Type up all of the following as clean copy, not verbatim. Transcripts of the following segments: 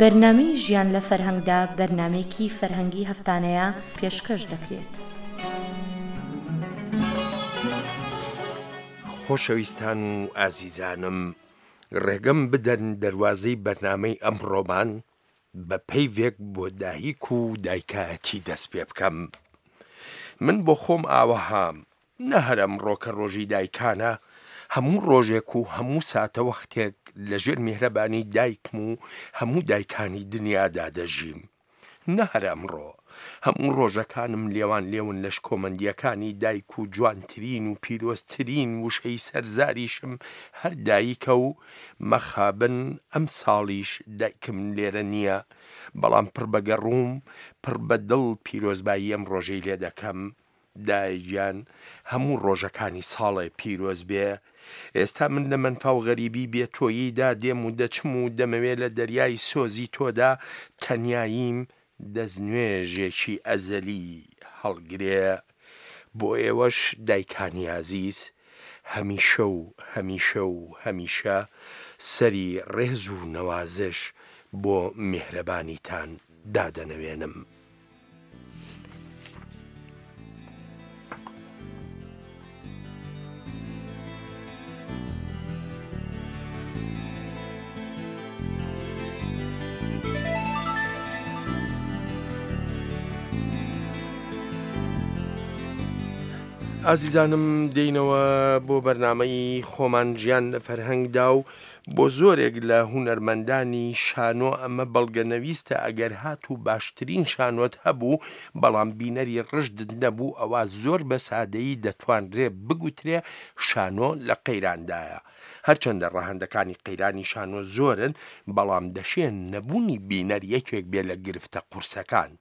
بەرنامەی ژیان لە فەرهەنگدا بەرنامەیەکی فەرهەنگی هەفتانەیە پێشکەش دەکرێت. خۆشەویستان و ئازیزانم ڕێگەم بدەن دەروازەی بەرنامەی ئەمڕۆمان بە پەیڤێک بۆ دایک و دایکایەتی دەست پێ بکەم. من بۆ خۆم ئاوەهام، نە هەر ئەمڕۆ کە ڕۆژی دایکانە، هەموو ڕۆژێک و هەموو ساتەوەختێک لە ژێر میهرەبانی دایکم و هەموو دایکانی دنیادا دەژیم. نە هەر ئەمڕۆ، هەموو ڕۆژەکانم لێوان لێون لە شکۆمەندییەکانی دایک و جوانترین و پیرۆزترین وشەی سەر زاریشم هەر دایکە و مەخابن ئەمساڵیش دایکم لێرە نییە، بەڵام پڕ بە گەڕووم، پڕ بە دڵ پیرۆزبایی ئەم ڕۆژەی لێ دەکەم. دایە گیان هەموو ڕۆژەکانی ساڵێ پیرۆز بێ. ئێستا من لە مەنفا و غەریبی بێ تۆییدا دێم و دەچم و دەمەوێ لە دەریای سۆزی تۆدا تەنیاییم دەستنوێژێکی ئەزەلی هەڵگرێ. بۆ ئێوەش دایکانی ئازیز هەمیشە و هەمیشە و هەمیشە سەری ڕێز و نەوازش بۆ میهرەبانیتان دادەنەوێنم. ئازیزانم دێینەوە بۆ بەرنامەی خۆمان ژیان لە فەرهەنگدا و بۆ زۆرێک لە هونەرمەندانی شانۆ ئەمە بەڵگەنەویستە ئەگەر هاتوو باشترین شانۆت هەبوو بەڵام بینەری ڕژدت نەبوو ئەوا زۆر بە سادەیی دەتوانرێ بگوترێ شانۆ لە قەیراندایە. هەرچەندە ڕەهەندەکانی قەیرانی شانۆ زۆرن بەڵام دەشێ نەبوونی بینەر یەکێک بێ لە گرفتە قورسەکان.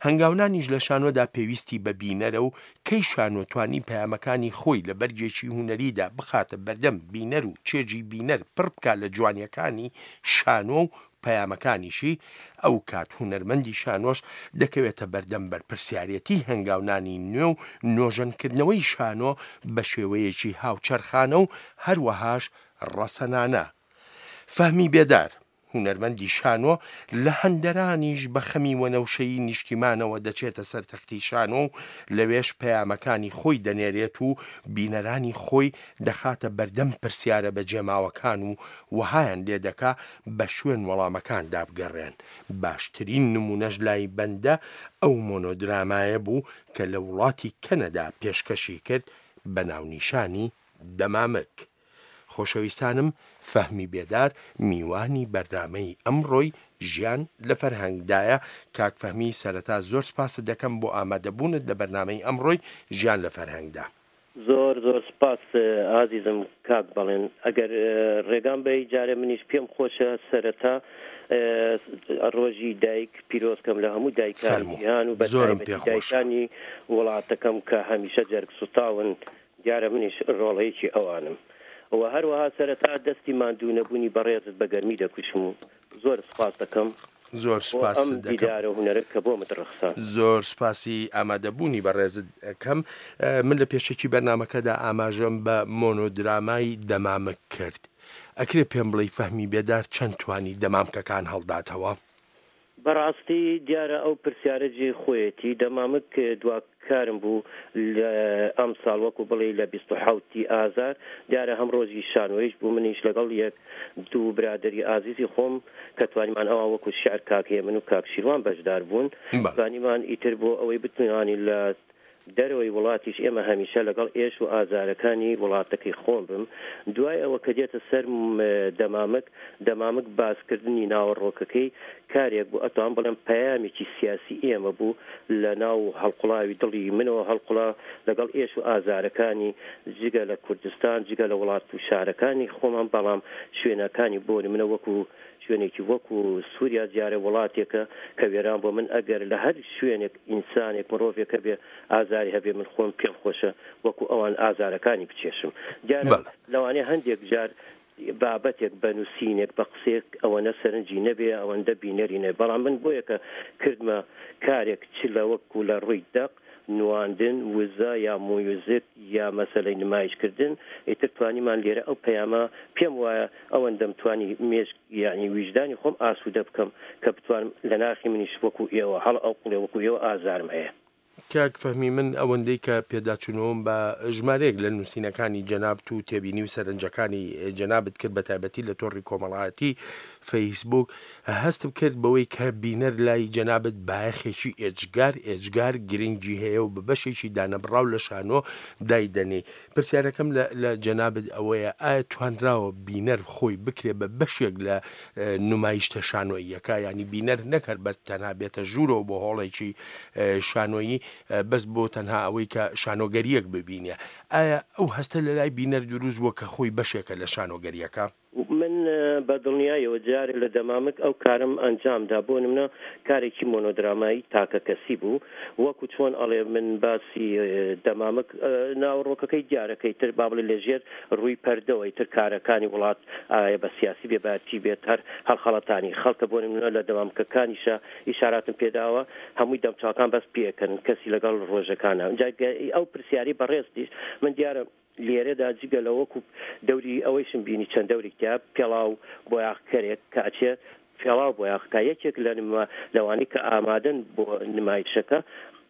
هەنگاونانیش لە شانۆدا پێویستی بە بینەرە و کەی شانۆ توانی پەیامەکانی خۆی لە بەرگێکی هونەریدا بخاتە بەردەم بینەر و چێژی بینەر پڕ بکا لە جوانیەکانی شانۆ و پەیامەکانیشی، ئەوکات هونەرمەندی شانۆش دەکەوێتە بەردەم بەرپرسیارێتی هەنگاونانی نوێ و نۆژەنکردنەوەی شانۆ بە شێوەیەکی هاوچەرخانە و هەروەهاش ڕەسەنانە. فەهمی بێدار. هونەرمەندی شانۆ لە هەندەرانیش بە خەمی وەنەوشەیی نیشتیمانەوە دەچێتە سەر تەختی شانۆ و لەوێش پەیامەکانی خۆی دەنێرێت و بینەرانی خۆی دەخاتە بەردەم پرسیارە بەجێماوەکان و وەهایان لێدەکا بە شوێن وەڵامەکاندا بگەڕێن. باشترین نموونەش لای بەندە ئەو مۆنۆدرامایە بوو کە لە وڵاتی کەنەدا پێشکەشی کرد بە ناونیشانی دەمامک. خۆشەویستانم فەهمی بێدار میوانی بەرنامەی ئەمڕۆی ژیان لە فەرهەنگدایە، کاک فەهمی سەرەتا زۆر سپاست دەکەم بۆ ئامادەبوونت لە بەرنامەی ئەمڕۆی ژیان لە فەرهەنگدا. زۆر زۆر سپاس ئازیزم کاک بەڵێن ئەگەر ڕێگام بەی جارێ منیش پێم خۆشە سەرەتا ڕۆژی دایک پیرۆز کەم لە هەموو دایکانی فەرموو جیهان و بە زۆرم تایبەتی پێ خۆشە. دایکانی وڵاتەکەم کە هەمیشە جەرگ سوتاون دیارە منیش ڕۆڵەیەکی ئەوانم و هەروەها سەرەتا دەستی ماندوو نەبوونی بەڕێزت بە گەرمی دەکوشم و زۆر سوپاست دەکەم زۆر بۆ سوپاست ئەم دەکەم. دیدارە هونەرە کە بۆمت ڕەخساند. زۆر سوپاسی ئامادەبوونی بەڕێزت دەکەم. من لە پێشەکی بەرنامەکەدا ئاماژەم بە مۆنۆدرامای دەمامک کرد. ئەکرێ پێم بڵێی فەهمی بێدار چەند توانی دەمامکەکان هەڵداتەوە؟ بەڕاستی دیارە ئەو پرسیارە جێی خۆیەتی، دەمامک دوا کارم بوو لە ئەمساڵ وەکو بڵێی لە 27 ی ئازار، دیارە هەم ڕۆژی شانۆیش بوو منیش لەگەڵ یەک دوو برادەری ئازیزی خۆم کە توانیمان ئەوان وەکو شیعر کاک هێمن و کاک شیروان بەشدار بوون توانیمان ئیتر بۆ ئەوەی بتوانین لە دەرەوەی وڵاتیش ئێمە هەمیشە لەگەڵ ئێش و ئازارەکانی وڵاتەکەی خۆم بم دوای ئەوە کە دێتە سەر دەمامک دەمامک باسکردنی ناوەڕۆکەکەی کارێک بوو ئەتوانم بڵێم پەیامێکی سیاسی ئێمە بوو لە ناو هەڵقوڵاوی دڵی منەوە هەڵقوڵا لەگەڵ ئێش و ئازارەکانی جگە لە کوردستان جگە لە وڵات و شارەکانی خۆمان بەڵام شوێنەکانی بۆ نمونە وەکو شوێنێکی وەکو سوریا دیارە وڵاتێکە کە وێران بووە من ئەگەر لە هەر شوێنێک ئینسانێک مرۆڤێک هەبێ ئازاری هەبێ من خۆم پێم خۆشە وەکو ئەوان ئازارەکانی بچێشم دیارە بەڵێ. لەوانەیە هەندێک جار بابەتێک بە نووسینێک بە قسەیەک ئەوەنە سەرنجی نەبێ ئەوەندە بینەری نەبێ بەڵام من بۆیە کە کردمە کارێک چ لە وەکو لە ڕووی دەق. نواندن، وزە یا مویوزک یا مەسەلەی نمایش کردن، ئیتر توانیمان لێرە ئەو پەیامە پێم وایە ئەوەندەم توانی مێشک یانی ویژدانی خۆم ئاسوودە بکەم کە بتوانم لە ناخی منیش وەکو ئێوە هەڵئەقوڵێ وەکو ئێوە ئازارم هەیە. کاک فەهمی من ئەوەندەی کە پێداچوونەوەم بە ژمارەیەک لە نووسینەکانی جەنابت و تێبینی و سەرنجەکانی جەنابت کرد بە تایبەتی لە تۆڕی کۆمەڵایەتی فەیسبووک هەستم کرد بەوەی کە بینەر لای جەنابت بایەخێکی ئێجگار ئێجگار گرنگی هەیە و بە بەشێکی دانەبڕاو لە شانۆ دایدەنێی. پرسیارەکەم لە لە جەنابت ئەوەیە ئایا توانراوە بینەر خۆی بکرێ بە بەشێک لە نمایشتە شانۆییەکە یانی بینەر نەک هەر بە تەنها بێتە ژوورەوە بۆ هۆڵێکی شانۆیی بەس بۆ تەنها ئەوەی کە شانۆگەریەک ببینێ ئایا ئەو هەستە لە لای بینەر دروست بووە کە خۆی بەشێکە لە شانۆگەریەکە؟ من بە دڵنیایەوە جارێ لە دەمامک ئەو کارەم ئەنجام دا، بۆ نمونە کارێکی مۆنۆدرامایی تاکەکەسی بوو، وەکو چۆن ئەڵێ من باسی دەمامک ناوەڕۆکەکەی دیارە کە ئیتر با بڵێ لە ژێر ڕووی پەردەوە ئیتر کارەکانی وڵات ئایا بە سیاسی بێ با چی بێت هەر هەڵخەڵەتانی خەڵکە بۆ نمونە لە دەمامکەکانیشا ئیشاراتم پێداوە هەمووی دەمچاوکان بەس پێکەن کەسی لەگەڵ ڕۆژەکانە جا ئەو پرسیاری بەڕێزتیش من دیارە لێرەدا جگە لە وەکو دەوری ئەوەیشم بینی چەند دەورێک تیا پێڵاو بۆیاخکەرێک کە ئەچێ پێڵاو بۆیاخ کا یەکێک لە نما لەوانەی کە ئامادەن بۆ نمایشەکە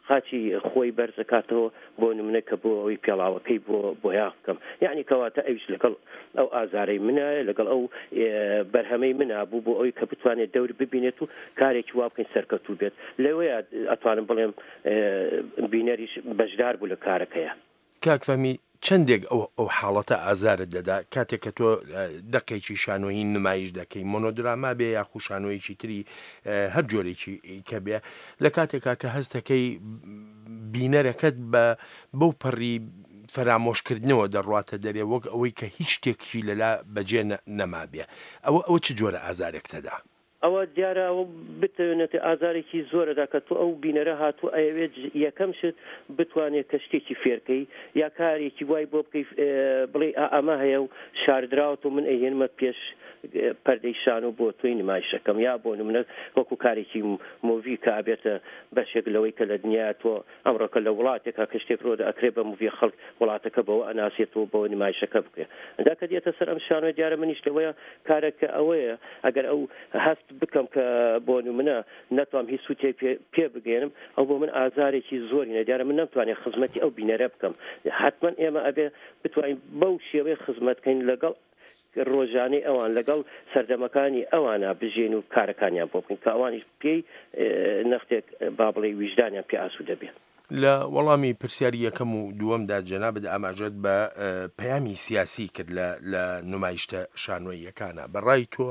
قاچی خۆی بەرز ئەکاتەوە بۆ نمونە کە بۆ ئەوەی پێڵاوەکەی بۆ بۆیاخ بکەم یەعنی کەواتە ئەویش لەگەڵ ئەو ئازارەی منایە لەگەڵ ئەو بەرهەمەی منا بوو بۆ ئەوەی کە بتوانێت دەور ببینێت و کارێکی وا بکەین سەرکەوتوو بێت لەوەیە ئەتوانم بڵێم بینەریش بەشدار بوو لە کارەکەیە. کاک فەهمی چەندێک ئەو ئەو حاڵەتە ئازارت دەدا کاتێک کە تۆ دەقێکی شانۆیی نمایش دەکەی مۆنۆدراما بێ یاخو شانۆیەکی تری هەر جۆرێکی کە بێ لە کاتێکا کە هەست دەکەی بینەرەکەت بە بەو پەڕی فەرامۆشکردنەوە دەڕواتە دەرێ وەک ئەوەی کە هیچ شتێکی لەلا بەجێ نەمابێ ئەوە ئەوە چ جۆرە ئازارێکتەدا؟ ئەوە دیارە ئەوە بتەوێنێت ئازارێکی زۆرەدا کە تۆ ئەو بینەرە هاتوو ئەیەوێت یەکەم شت بتوانێت کە شتێکی فێرکەی یا کارێکی وای بۆ بکەی بڵێ ئەمە هەیە و شاردراوەتەوە من ئەیهێنمە پێش پەردەی شانۆ بۆ تۆی نمایشەکەم یا بۆ نمونە وەکو کارێکی مۆڤی کە ئەبێتە بەشێک لەوەی کە لە دنیا تۆ ئەمڕۆکە لە وڵاتێکا کە شتێک ڕۆدە ئەکرێ بە موڤی خەڵک وڵاتەکە بەوە ئەناسێتەوە بەوە نمایشەکە بکرێ ئەنجا کە دێتە سەر ئەم شانۆیە دیارە منیش لەوەیە کارەکە ئەوەیە ئەگەر ئەو هەست بکەم کە بۆ نمونە نەتوام هیچ سوتێک پێ پێ بگەێنم ئەو بۆ من ئازارێکی زۆری نە دیارە من نەمتوانێت خزمەتی ئەو بینەرە بکەم حتمما ئێمە ئەبێ بتوانین بەو شێوەیە خزمەت کەین لەگەڵ ڕۆژانەی ئەوان لەگەڵ سەردەمەکانی ئەوانە بژین و کارەکانیان بۆ بکەین کە ئەوانیش پێی نەختێک با بڵێی ویژدانیان پێ ئاسوودە بێ. لە وەڵامی پرسیاری یەکەم و دووەمدا جەنابت ئاماژەت بە پەیامی سیاسی کرد لە لە نمایشتە شانۆییەکانا، بە ڕای تۆ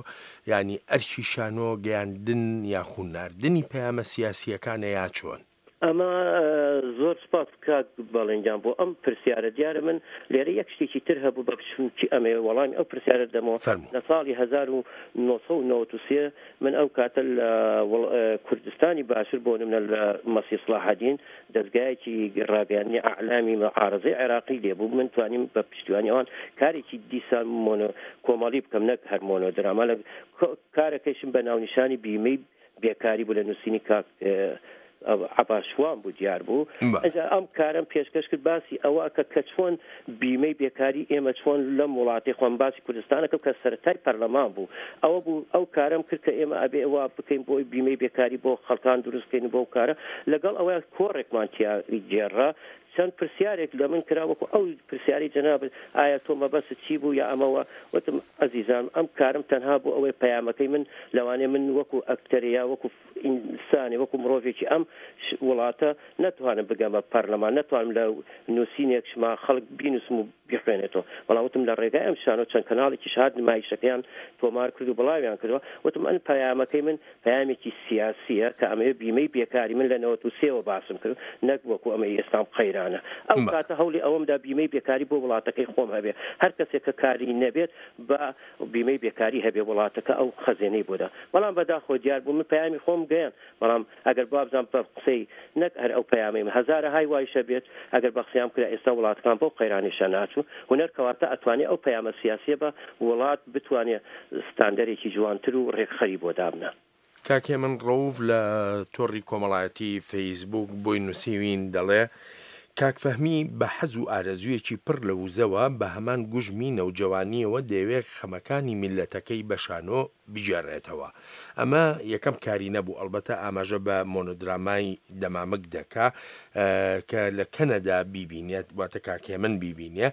یانی ئەرکی شانۆ گەیاندن یاخو ناردنی پەیامە سیاسییەکانە یا چۆن؟ ئەمە زۆر سپاس کاک بەڵێن گیان بۆ ئەم پرسیارە دیارە من لێرە یەک شتێکی تر هەبوو بە بچووکی ئەمەوێ وەڵامی ئەو پرسیارە دەمەوە فەرموو. لە ساڵی 1993 من ئەو کاتە لە کوردستانی باشور بۆ نمونە لە مەسی سڵاحەدین دەزگایەکی ڕاگەیاندنی ئەعلامی معارەزەی عێراقی لێ بوو من توانیم بە پشتیوانی ئەوان کارێکی دیسان مۆنۆ کۆمەڵی بکەم نەک هەر مۆنۆدراما لە کارەکەیشم بە ناونیشانی بیمەی بێکاری بوو لە نووسینی کاک عەباس شوان بوو دیار بوو ئەجا ئەم کارم پێشکەش کرد باسی ئەوە کە کە چۆن بیمەی بێکاری ئێمە چۆن لەم وڵاتی خۆم باسی کوردستانەکە کە سەرەتای پەرلەمان بوو ئەوە بوو ئەو کارم کرد کە ئێمە ئەبێ وا بکەین بۆی بیمەی بێکاری بۆ خەڵکان دروست بکەین بۆ کارە لەگەڵ ئەوە کۆڕێکمان تیا گێڕا چەند پرسیارێک لە من کرا وەکو ئەو پرسیارەی جەنابت ئایا تۆ مەبەستت چی بوو یا ئەمەوە وتم ئەزیزان ئەم کارم تەنها بۆ ئەوەی پەیامەکەی من لەوانەیە من وەکو ئەکتەرێ یا وەکو ئینسانێ وەکو مرۆڤێکی ئەم وڵاتە نەتوانم بگەمە پەرلەمان نەتوانم لە نووسینێک شما خەڵک بینوسم و بیخوێنێتەوە بەڵام وتم لە ڕێگای ئەم شانۆ چەند کەناڵێکیش هات نمایشەکەیان تۆمار کرد و بڵاویان کردەوە وتم ئەن پەیامەکەی من پەیامێکی سیاسیە کە ئەمەوێ بیمەی بێکاری من لە 93 وە باسم کرد نەک وەکو ئەمەی ئێستام قەیرانە ئەو کاتە هەوڵی ئەوەم دا بیمەی بێکاری بۆ وڵاتەکەی خۆم هەبێ هەر کەسێک کە کاری نەبێت با بیمەی بێکاری هەبێ وڵاتەکە ئەو خەزێنەی بۆ دا بەڵام بەداخەوە دیار بوو من پەیامی خۆم گەیاند بەڵام ئەگەر وابزانم بە قسەی نەک هەر ئەو پەیامەی من هەزارەهای وایش هەبێت ئەگەر بە قسەیان بکرا ئێستا وڵاتەکان بەو قەیرانەیشا ناچوو هونەر کەواتە ئەتوانێ ئەو پەیامە سیاسیە بە وڵات بتوانێ ستاندەرێکی جوانتر و ڕێکخەری بۆ دابنا. کاک هێمن ڕەوف لە تۆڕی کۆمەڵایەتی فەیسبووک بۆی نووسیوین دەڵێ، کاک فەهمی بە حەز و ئارەزوویەکی پڕ لە وزەوە بە هەمان گوژمی نەوجەوانییەوە دەیەوێ خەمەکانی میللەتەکەی بە شانۆ بگێڕێتەوە. ئەمە یەکەم کاری نەبوو، ئەڵبەتە ئاماژە بە مۆنۆدرامای دەمامک دەکا کە لە کەنەدا بیبینێت، واتە کاک هێمن بیبینێ.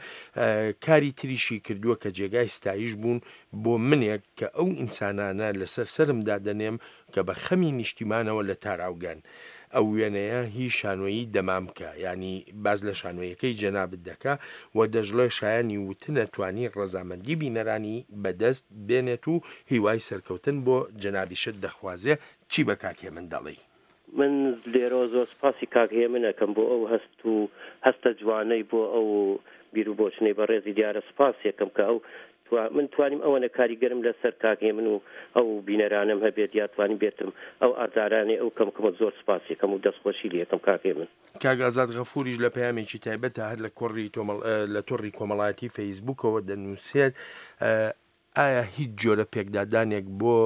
کاری تریشی کردووە کە جێگای ستایش بوون بۆ منێک کە ئەو ئینسانانە لەسەر سەرم دادەنێم کە بە خەمی نیشتیمانەوە لە تاراوگەن. ئەو وێنەیە هی شانۆیی دەمامکە، یانی باس لە شانۆیەکەی جەنابت دەکا و دەشڵێ شایانی وتنە توانی ڕەزامەندی بینەرانی بەدەست بێنێت و هیوای سەرکەوتن بۆ جەنابیشت دەخوازێ، چی بە کاک هێمن دەڵێی؟ من لێرەوە زۆر سوپاسی کاک هێمن ئەکەم بۆ ئەو هەست و هەستە جوانەی بۆ ئەو بیروبۆچونەی بەڕێزی دیارە سوپاسی ئەکەم کە ئەو من توانیم ئەوەنە کاریگەرم لەسەر کاک هێمن و ئەو بینەرانەم هەبێت یا توانیم بێتم ئەو ئازارانەی ئەو کەم کەمە زۆر سوپاسی ئەکەم و دەستخۆشی لێ ئەکەم کاک هێمن. کاک ئازاد غەفوریش لە پەیامێکی تایبەتدا هەر لە کۆڕی لە تۆڕی کۆمەڵایەتی فەیسبووکەوە دەنووسێت، ئایا هیچ جۆرە پێکدادانێک بۆ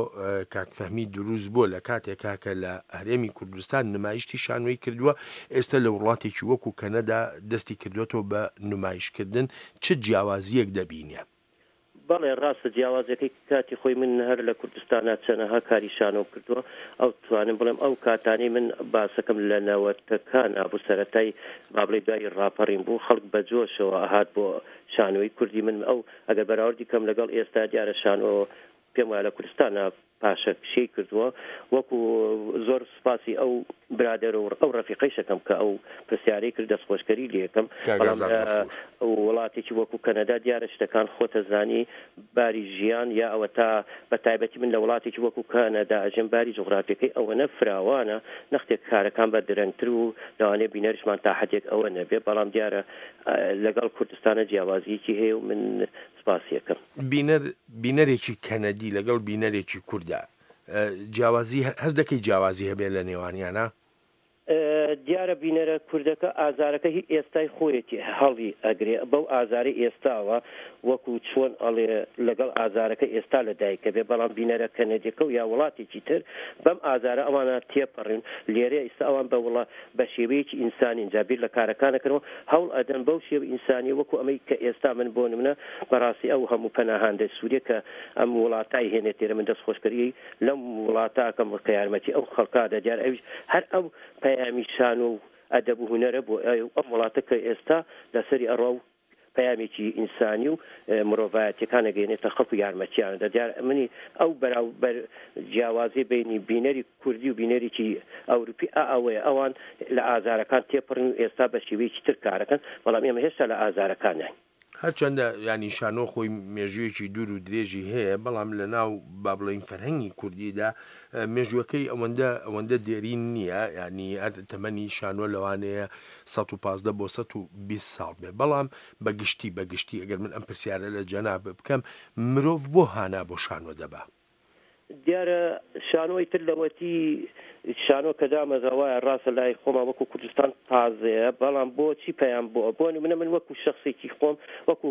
کاک فەهمی دروست بووە لە کاتێکا کە لە هەرێمی کوردستان نمایشتی شانۆی کردووە، ئێستا لە وڵاتێکی وەکو کەنەدا دەستی کردووەتەوە بە نمایشکردن، چ جیاوازییەک دەبینێ؟ بەڵێ ڕاستە جیاوازیەکەی کاتی خۆی من هەر لە کوردستانا چەنەها کاری شانۆم کردووە ئەو توانم بڵێم ئەو کاتانەی من باسەکەم لە نەوەتەکانا بوو سەرەتای با بڵێی دوای ڕاپەڕین بوو خەڵک بە جۆشەوە ئەهات بۆ شانۆی کوردی من ئەو ئەگەر بەراوردی کەم لەگەڵ ئێستا دیارە شانۆ پێم وایە لە کوردستانا پاشەکشەی کردووە وەکو زۆر سوپاسی ئەو برادەر و ئەو ڕەفیقەیش ئەکەم کە ئەو پرسیارەی کرد دەستخۆشکەری لێکەم کاک بەڵام ئازاد لە غەفور. وڵاتێکی وەکو کەنەدا دیارە شتەکان خۆتەزانی باری ژیان یا ئەوەتا بە تایبەتی من لە وڵاتێکی وەکو کەنەدا ئەژێم باری جوغرافیەکەی ئەوەنە فراوانە نەختێک کارەکان بە درەنگتر و لەوانەیە بینەریشمان تا حەدێک ئەوە نەبێ بەڵام دیارە لەگەڵ کوردستانە جیاوازیەکی هەیە و من سپاسی ئەکەم. بینەر بینەرێکی کەنەدی لەگەڵ بینەرێکی کوردا جیاوازی هەست دەکەی جیاوازی هەبێ لە نێوانیانا؟ دیارە بینەرە کوردەکە ئازارەکە هی ئێستای خۆیەتی هەڵی ئەگرێ بەو ئازارەی ئێستاوە وەکو چۆن ئەڵێ لەگەڵ ئازارەکە ئێستا لە دایکە بێ بەڵام بینەرە کەنەدیەکە و یا وڵاتێکی تر بەم ئازارە ئەوانە تێپەڕین لێرەیە ئیستا ئەوان بە وڵا بە شێوەیەکی ئینسانین جا بیر لە کارەکان ئەکەنەوە هەوڵ ئەدەن بەو شێوە ئینسانیە وەکو ئەمەی کە ئێستا من بۆ نمونە بەڕاستی ئەو هەموو پەناهاندەی سوریە کە ئەم وڵاتە ئەیهێنێت لێرە من دەست خۆشکەری لەم وڵاتە ئەکەم کە یارمەتی ئەو خەڵکە ئەدا دیارە ئەویش هەر ئەو پەیامی شانۆ و ئەدەب و هونەرە بۆ ئەم وڵاتە کە ئێستا لەسەری ئەڕوا و پەیامێکی ئینسانی و مرۆڤایەتیەکان ئەگەیەنێتە خەڵک و یارمەتیان ئەدا دیارە منی ئەو بەراوبەر جیاوازی بینی بینەری کوردی و بینەرێکی ئەوروپی ئا ئەوەیە ئەوان لە ئازارەکان تێپەڕین و ئێستا بە شێوەیەکی تر کارەکەن بەڵام ئێمە هێشتا لە ئازارەکانین. هەرچەندە یانی شانۆ خۆی مێژوویەکی دوور و درێژی هەیە بەڵام لە ناو با بڵێین فەرهەنگی کوردیدا مێژووەکەی ئەوەندە ئەوەندە دێرین نییە یانی هەر تەمەنی شانۆ لەوانەیە 115 بۆ 120 ساڵ بێ بەڵام بە گشتی بە گشتی ئەگەر من ئەم پرسیارە لە جەناب بکەم مرۆڤ بۆ هانا بۆ شانۆ دەبا؟ دیارە شانۆی تر لەوەتی شانۆ کە دامەزرا وایە ڕاستە لای خۆمان وەکو کوردستان تازەیە بەڵام بۆچی پەیام بۆ بۆ نمونە من وەکو شخصێکی خۆم وەکو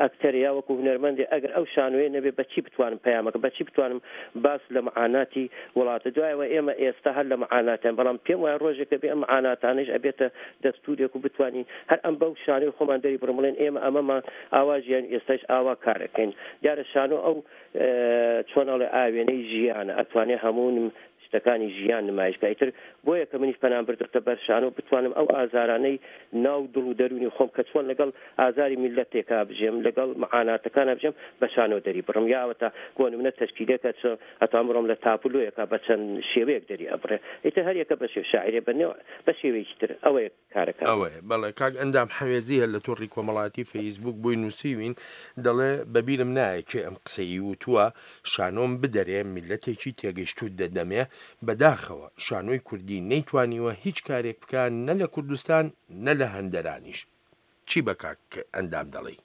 ئەکتەر یا وەکو هونەرمەندێ ئەگەر ئەو شانۆیە نەبێ بەچی بتوانم پەیامەکە بەچی بتوانم باس لە معاناتی وڵاتە دوایەوە ئێمە ئێستا هەر لە معاناتیان بەڵام پێم وایە ڕۆژێکە بێ ئەم معاناتانەش ئەبێتە دەستورێک و بتوانین هەر ئەم بەو شانۆی خۆمان دەری بڕم بڵێن ئێمە ئەمەمان ئاوا ژیان ئێستاش ئاوا کارەکەین دیارە شانۆ ئەو چۆن ئەڵێ ئاوێنەی ژیانە ئەتوانێ هەموو شتەکانی ژیان نمایش بکا ئیتر بۆیە کە منیش پەنام بردۆتە بەر شانۆ بتوانم ئەو ئازارانەی ناو دڵ و دەروونی خۆم کە چۆن لەگەڵ ئازاری میللەتێکا بژێم لەگەڵ معاناتەکانا بژێم بە شانۆ دەری بڕم یا ئەوەتا بۆ نمونە تەشکیلێکە چۆن ئەتوانم بڕۆم لە تابلۆیەکا بە چەند شێوەیەک دەری ئەبڕێ ئیتر هەر یەکە بە شێوە شاعیرێ بە نێو بە شێوەیەکی تر ئەوەیە کارەکان. ئەوەیە بەڵێ کاک ئەندام حەوێزی هەر لە تۆڕی کۆمەڵایەتی فەیسبووک بۆی نووسیوین دەڵێ بەبیرم نایە کێ ئەم قسەی وتووە شانۆم بدەرێ میللەتێکی تێگەیشتووت دەدەمێ بەداخەوە شانۆی کوردی نەیتوانیوە هیچ کارێک بکا نە لە کوردستان نە لە هەندەرانیش چی بە کاک ئەندام دەڵێی؟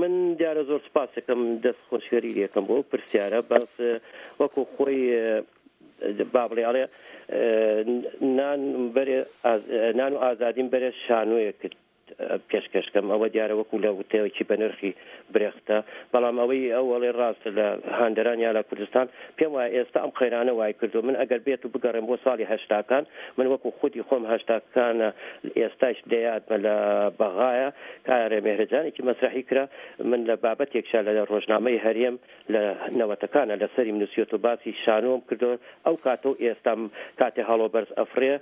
من دیارە زۆر سپاسەکەم دەست خۆشگەری لەکەم بۆ پرسیارە بەس وەکو خۆی با بڵێ ئەڵێ نان بەرێ نان و ئازادیم بەرێ شانۆیەکت. پێشکەش کەم ئەوە دیارە وەکو لە وتەیەکی بەنرخی برێختە بەڵام ئەوەی ئەو ئەڵێ ڕاستە لە هاندەران یا لە کوردستان پێم وایە ئێستا ئەم قەیرانە وای کردووە من ئەگەر بێت و بگەڕێم بۆ ساڵی هەشتاکان من وەکو خودی خۆم هەشتاکانە ئێستاش لەیادمە لە بەغایە کارێ مێهرەجانێکی مەسرەحی کرا من لە بابەتێکشا لە ڕۆژنامەی هەرێم لە نەوەتەکانە لەسەریم نوسیۆتەوە باسی شانۆم کردوە ئەو کاتە و ئێستام کاتێ هەڵۆ بەرز ئەفڕێ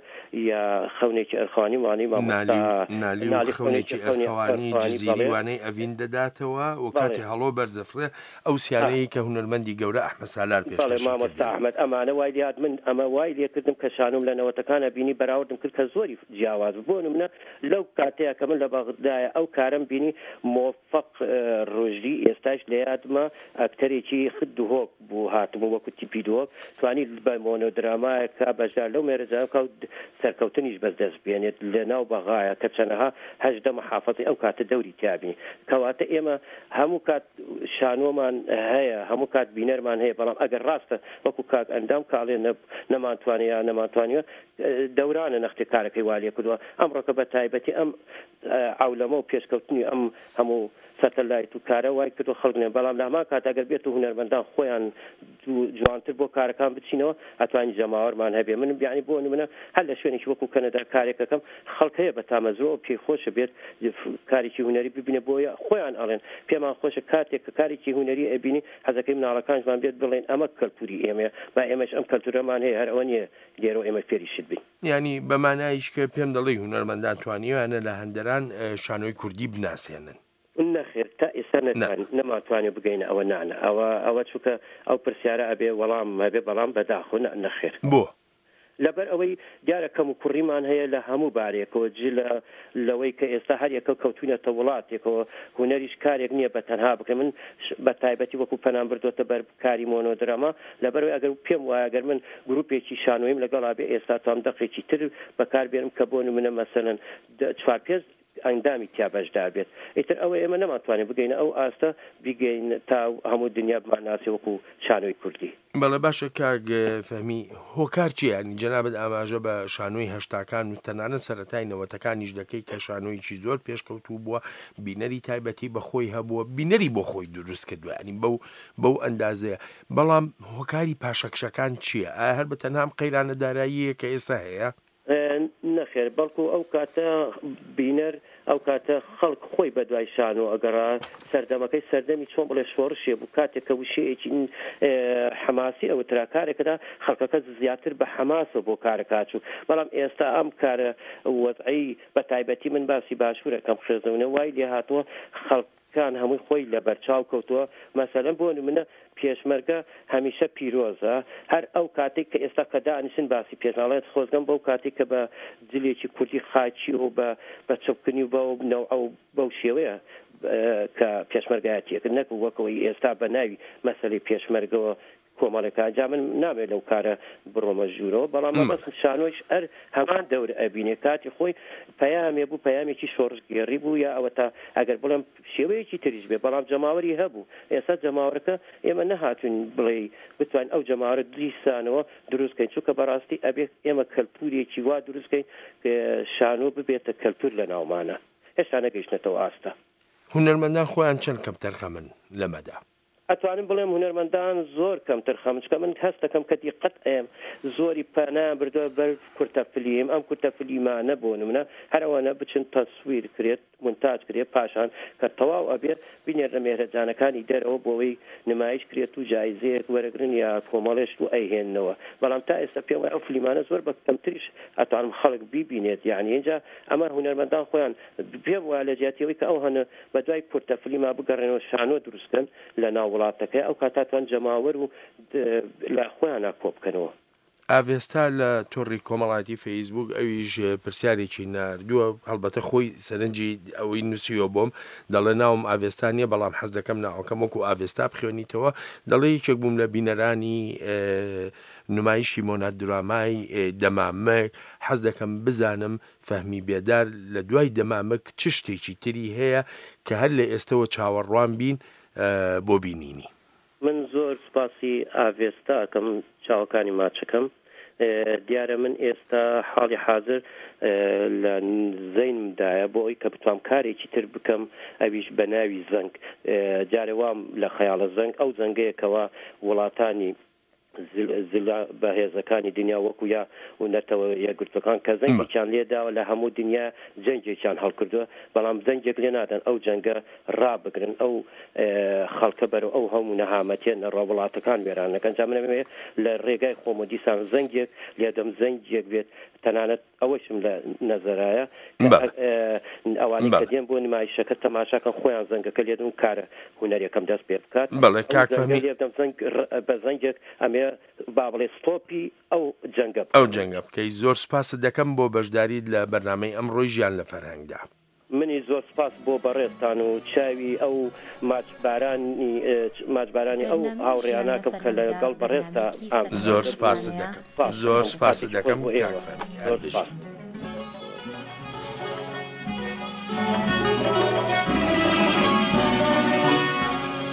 یا خەونێکی ئەرخەوانی وانەی مامۆستا نالی و خەونێکی ئەرخەوانی جزیری وانەی ئەڤین دەداتەوە و کاتێ هەڵۆ بەرز ئەفڕێ ئەو سیانەی کە هونەرمەندی گەورە ئەحمەد سالار پێشکەشی کردین. مامۆستا ئەحمەد ئەمانە وای لێهات من ئەمە وای لێکردم کە شانۆم لە نەوەتەکانە بینی بەراوردم کرد کە زۆری جیاواز بوو بۆ نمونە لەو کاتەیە کە من لە بەغدایە ئەو کارەم بینی مۆف فەق ڕوشدی ئێستاش لە یادمە ئەکتەرێکی خت دهۆک بوو هاتبوو وەکو تیپی دهۆک توانی بە مۆنۆدرامایەکا بەشدار لەو مێرەجانە بکا و سەرکەوتنیش بەس دەست بێنێت لە ناو بەغایا کە چەنەها 18 محافەزەی ئەو کاتە دەوری تیا بینی کەواتە ئێمە هەموو کات شانۆمان هەیە هەموو کات بینەرمان هەیە بەڵام ئەگەر ڕاستە وەکو کاک ئەندام کاڵێ نەمانتوانێ یا نەمانتوانیوە دەورانە نەختێ کارەکەی وا لێ کردووە ئەمڕۆکە بە تایبەتی ئەم عەولەمە و پێشکەوتنی ئەم هەموو سەتەلایت و کارە وای کردوە خەڵک نێن بەڵام لە هەمان کات ئەگەر بێت و هونەرمەندان خۆیان جوانتر بۆ کارەکان بچینەوە ئەتوانین جەماوەرمان هەبێ من بیانی بۆ نمونە هەر لە شوێنێکی وەکو کەنەدا کارێکەکەم خەڵک هەیە بە تامەزرۆ پێی خۆشە بێت کارێکی هونەری ببینە بۆیە خۆیان ئەڵێن پێمان خۆشە کاتێک کە کارێکی هونەری ئەبینی حەزەکەی مناڵەکانشمان بێت بڵێن ئەمە کەلتوری ئێمەیە با ئێمەش ئەم کەلتورەمان هەیە هەر ئەوە نییە لێرەوە ئێمە فێری شت بین. یانی بە مانایش کە پێم دەڵێی هونەرمەندان توانیویانە لە هەندەران شانۆی کوردی بناسێنن؟ نەخێر تا ئێستا نەتوان نەمانتوانیوە بگەینە ئەوە نا نا ئەوە ئەوە چونکە ئەو پرسیارە ئەبێ وەڵام هەبێ بەڵام بەداخەوە نا نەخێر. بۆ؟ لەبەر ئەوەی دیارە کەم و کوڕیمان هەیە لە هەموو بارێکەوە جلە لەوەی کە ئێستا هەر یەکەو کەوتوینەتە وڵاتێکەوە هونەریش کارێک نییە بە تەنها بکرێ من بە تایبەتی وەکو پەنام بردۆتە بەر کاری مۆنۆدراما لەبەرئەوەی ئەگەر پێم وایە گەر من گروپێکی شانۆییم لەگەڵا بێ ئێستا توام دەقێکی تر بەکار بێنم کە بۆ نمونە مەسەلەن چوار پێنج ئەندامی تیا بەشدار بێت ئیتر ئەوە ئێمە نەمانتوانی بگەینە ئەو ئاستە بیگەین تا هەموو دنیا بمانناسێ وەکو شانۆی کوردی. بەڵێ باشە کاک فەهمی هۆکار چیە یانی جەنابت ئاماژە بە شانۆی هەشتاکان و تەنانەت سەرەتای نەوەتەکانیش دەکەی کە شانۆیەکی زۆر پێشکەوتوو بووە بینەری تایبەتی بە خۆی هەبووە بینەری بۆ خۆی دروست کردووە ینی بەو بەو ئەندازەیە بەڵام هۆکاری پاشەکشەکان چییە ئایا هەر بە تەنها ئەم قەیرانە داراییە کە ئێستا هەیە؟ نەخێر بەڵکو ئەو کاتە بینەر ئەو کاتە خەڵک خۆی بە دوای شانۆ ئەگەڕا سەردەمەکەی سەردەمی چۆن بڵێ شۆڕشێ بوو کاتێک کە وشەیەکی حەماسی ئەوترا کارێکدا خەڵکەکە زیاتر بە حەماسەوە بۆ کارەکە ئەچوو بەڵام ئێستا ئەم کارە وەزعەی بە تایبەتی من باسی باشوورەکەم قێزەونە وای لێهاتووە خەڵک کان هەمووی خۆی لە بەرچاو کەوتووە مەسەلەن بۆ نمونە پێشمەرگە هەمیشە پیرۆزە هەر ئەو کاتەی کە ئێستا کە دانیشن باسی پێشناڵێت خۆزگەم بەو کاتەی کە بە جلێکی کوردی خاکی و بە بە چڵکنی و بەو نەوعە و بەو شێوەیە کە پێشمەرگایەتی ئەکرد نەک وەک ئەوەی ئێستا بە ناوی مەسەلەی پێشمەرگەوە کۆمەڵێکە جا من نامەوێت لەو کارە بڕۆمە ژوورەوە بەڵام مەبەستم شانۆیش ئەر هەمان دەور ئەبینێ کاتی خۆی پەیامێ بوو پەیامێکی شۆڕشگێڕی بوو یا ئەوەتا ئەگەر بڵێم شێوەیەکی تریش بێ بەڵام جەماوەری هەبوو ئێستا جەماوەرەکە ئێمە نەهاتوین بڵێ بتوانین ئەو جەماوەرە دیسانەوە دروست کەین چونکە بەڕاستی ئەبێ ئێمە کەلتورێکی وا دروست کەین شانۆ ببێتە کەلتور لە ناومانە هێشتا نەگەیشتنەتەوە ئاستە. هونەرمەندان خۆیان چەند کەمتەرخەمن لەمەدا؟ ئەتوانم بڵێم هونەرمەندان زۆر کەمتر خەمن چونکە من هەست دەکەم کە دیقەت ئەیەم زۆری پەنایان بردوە بەر کورتە فلیم ئەم کورتە فلیمانە بۆ نمونە هەر ئەوەنە بچن تەسویر کرێت مونتاج کرێت پاشان کە تەواو ئەبێت بینێرنە مێهرەجانەکانی دەرەوە بۆوەی نمایش کرێت و جایزەیەک وەرەگرن یا کۆمەڵێ شت و ئەیهێننەوە بەڵام تا ئێستا پێم وایە ئەو فلیمانە زۆر بە کەمتریش ئەتوانم خەڵک بیبینێت یانی ئینجا ئەمە هونەرمەندان خۆیان پێم وایە لە جیاتی ئەوەی کە ئەو هەنە بە دوای کورتە فلیما بگەڕێنەوە شانۆ دروست کەن لە ناو وڵاتەکەی ئەو کاتە توان جەماوەر و لە خۆیانا کۆ بکەنەوە. ئاڤێستا لە تۆڕی کۆمەڵایەتی فەیسبووک ئەویش پرسیارێکی ناردووە، هەڵبەتە خۆی سەرنجی ئەوەی نووسیوە بۆم، دەڵێ ناوم ئاڤێستا نییە، بەڵام حەز دەکەم ناوەکەم وەکو ئاڤێستا بخوێنیتەوە، دەڵێ یەکێک بووم لە بینەرانی نمایشی مۆنادرامای دەمامک، حەز دەکەم بزانم فەهمی بێدار لە دوای دەمامک چ شتێکی تری هەیە کە هەر لە ئێستەوە چاوەڕوان بین بۆ بینینی؟ من زۆر سوپاسی ئاڤێستا ئەکەم چاوەکانی ماچەکەم. دیارە من ئێستا حاڵی حازر لە زەینمدایە بۆ ئەوی کە بتوام کارێکی تر بکەم ئەویش بە ناوی زەنگ جارێ وام لە خەیاڵە زەنگ ئەو زەنگەیە کەوا وڵاتانی زلە بەهێزەکانی دنیا وەکو یا و نەتەوە یەکگرتوەکان کە زەنگێکیان لێداوە لە هەموو دنیا جەنگێکیان هەڵکردووە بەڵام زەنگێک لێ نادەن ئەو جەنگە ڕابگرن ئەو خەڵکە بەرەو ئەو هەموو نەهامەتیە نەڕوا وڵاتەکان وێران نەکەن جا من ئەمەوێ لە ڕێگای خۆم و دیسان زەنگێک لێدەم زەنگێک بێت تەنانەت ئەوەشم لە نەزەرایە کە بەڵێ ئەوانەی کە بەڵێ. دێن بۆ نمایشەکە تەماشاکەن خۆیان زەنگەکە لێدەن و کارە هونەریەکەم دەست پێ بکات بەڵێ ئەو کاک زەنگە فەهمی لێبدەم زەنگ بە زەنگێک ئەمێ با بڵێ ستۆپی ئەو جەنگە ئەو بکەم. جەنگە بکەی زۆر سوپاست دەکەم بۆ بەشداریت لە بەرنامەی ئەمڕۆی ژیان لە فەرهەنگدا. منیش زۆر سپاس بۆ بەڕێزتان و چاوی ئەو ماچ بارانی ماچ بارانی ئەو بەرنامەی ژیان هاوڕێیانە لە کەم کە لە فەرهەنگدا گەڵ بەڕێزتا بەرنامەیەکی ئام فەرهەنگی زۆر دەبوون سپاست هەفتانەیە. دەکەم سپاس زۆر دەکەم سپاست کاتێکی خۆش دەکەم بۆ کاک ئێوە فەهمی هەر زۆر بژیت. سپاس.